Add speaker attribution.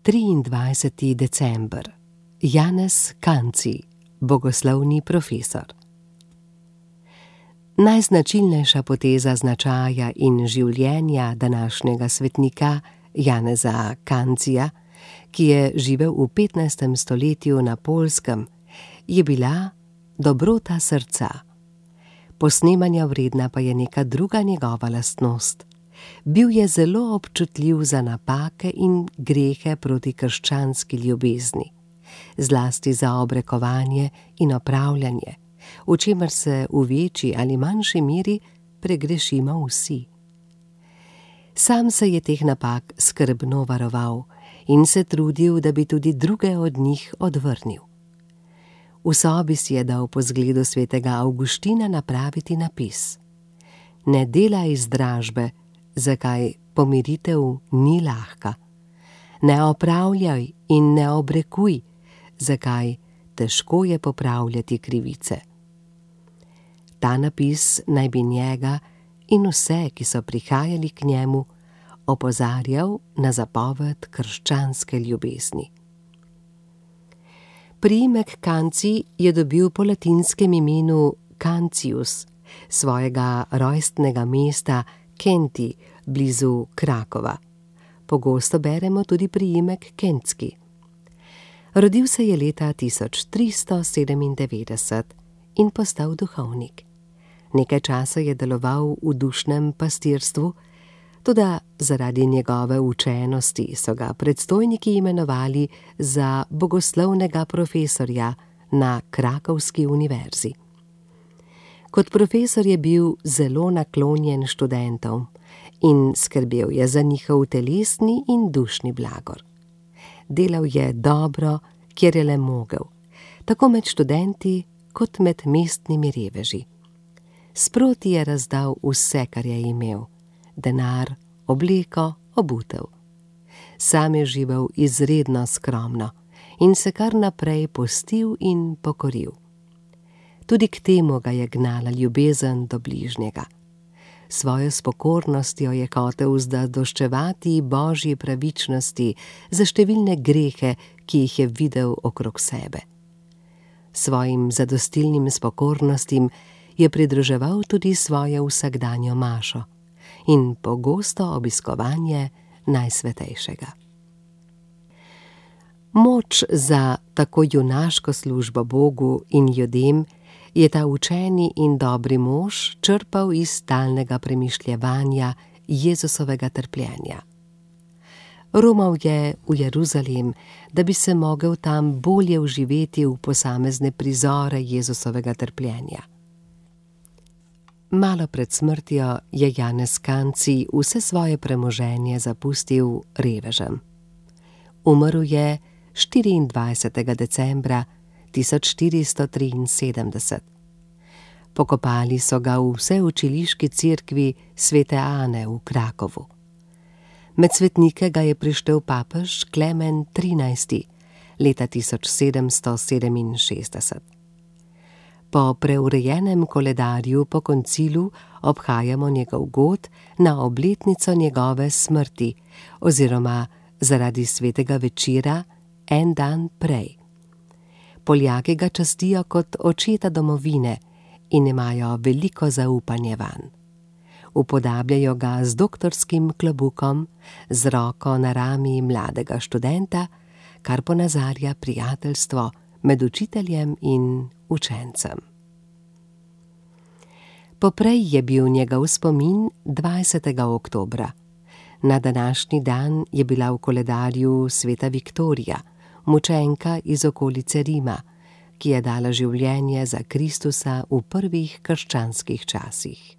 Speaker 1: 23. december. Janez Kanci, bogoslovni profesor. Najznačilnejša poteza značaja in življenja današnjega svetnika Janeza Kancija, ki je živel v 15. stoletju na Poljskem, je bila dobrota srca. Posnemanja vredna pa je neka druga njegova lastnost. Bil je zelo občutljiv za napake in grehe proti krščanski ljubezni, zlasti za obrekovanje in opravljanje, v čemer se v večji ali manjši meri pregrešimo vsi. Sam se je teh napak skrbno varoval in se trudil, da bi tudi druge od njih odvrnil. V sobi si je dal po zgledu svetega Avguština napraviti napis: Ne delaj zdražbe, zakaj pomiritev ni lahka. Ne opravljaj in ne obrekuj, zakaj težko je popravljati krivice. Ta napis naj bi njega in vse, ki so prihajali k njemu, opozarjal na zapoved krščanske ljubezni. Priimek Kanci je dobil po latinskem imenu Cancius, svojega rojstnega mesta Kenti, blizu Krakova. Pogosto beremo tudi priimek Kentski. Rodil se je leta 1397 in postal duhovnik. Nekaj časa je deloval v dušnem pastirstvu, toda zaradi njegove učenosti so ga predstojniki imenovali za bogoslovnega profesorja na Krakovski univerzi. Kot profesor je bil zelo naklonjen študentom in skrbel je za njihov telesni in dušni blagor. Delal je dobro, kjer je le mogel, tako med študenti kot med mestnimi reveži. Sproti je razdal vse, kar je imel: denar, obleko, obutev. Sam je živel izredno skromno in se kar naprej postil in pokoril. Tudi k temu ga je gnala ljubezen do bližnjega. Svojo spokornostjo je hotel zadoščevati božji pravičnosti za številne grehe, ki jih je videl okrog sebe. Svojim zadostilnim spokornostim je pridruževal tudi svojo vsakdanjo mašo in pogosto obiskovanje Najsvetejšega. Moč za tako junaško službo Bogu in ljudem je ta učeni in dobri mož črpal iz stalnega premišljevanja Jezusovega trpljenja. Romal je v Jeruzalem, da bi se mogel tam bolje vživeti v posamezne prizore Jezusovega trpljenja. Malo pred smrtjo je Janez Kanci vse svoje premoženje zapustil revežem. Umrl je 24. decembra 1473. Pokopali so ga v vseučiliški cerkvi Svete Ane v Krakovu. Med svetnike ga je prištel papež Klemen XIII. Leta 1767. Po preurejenem koledarju po koncilu obhajamo njegov god na obletnico njegove smrti oziroma zaradi svetega večera en dan prej. Poljaki ga častijo kot očeta domovine in imajo veliko zaupanje vanj. Upodabljajo ga z doktorskim klobukom, z roko na rami mladega študenta, kar ponazarja prijateljstvo med učiteljem in učencem. Poprej je bil njegov spomin 20. oktobra. Na današnji dan je bila v koledarju sveta Viktorija, mučenka iz okolice Rima, ki je dala življenje za Kristusa v prvih krščanskih časih.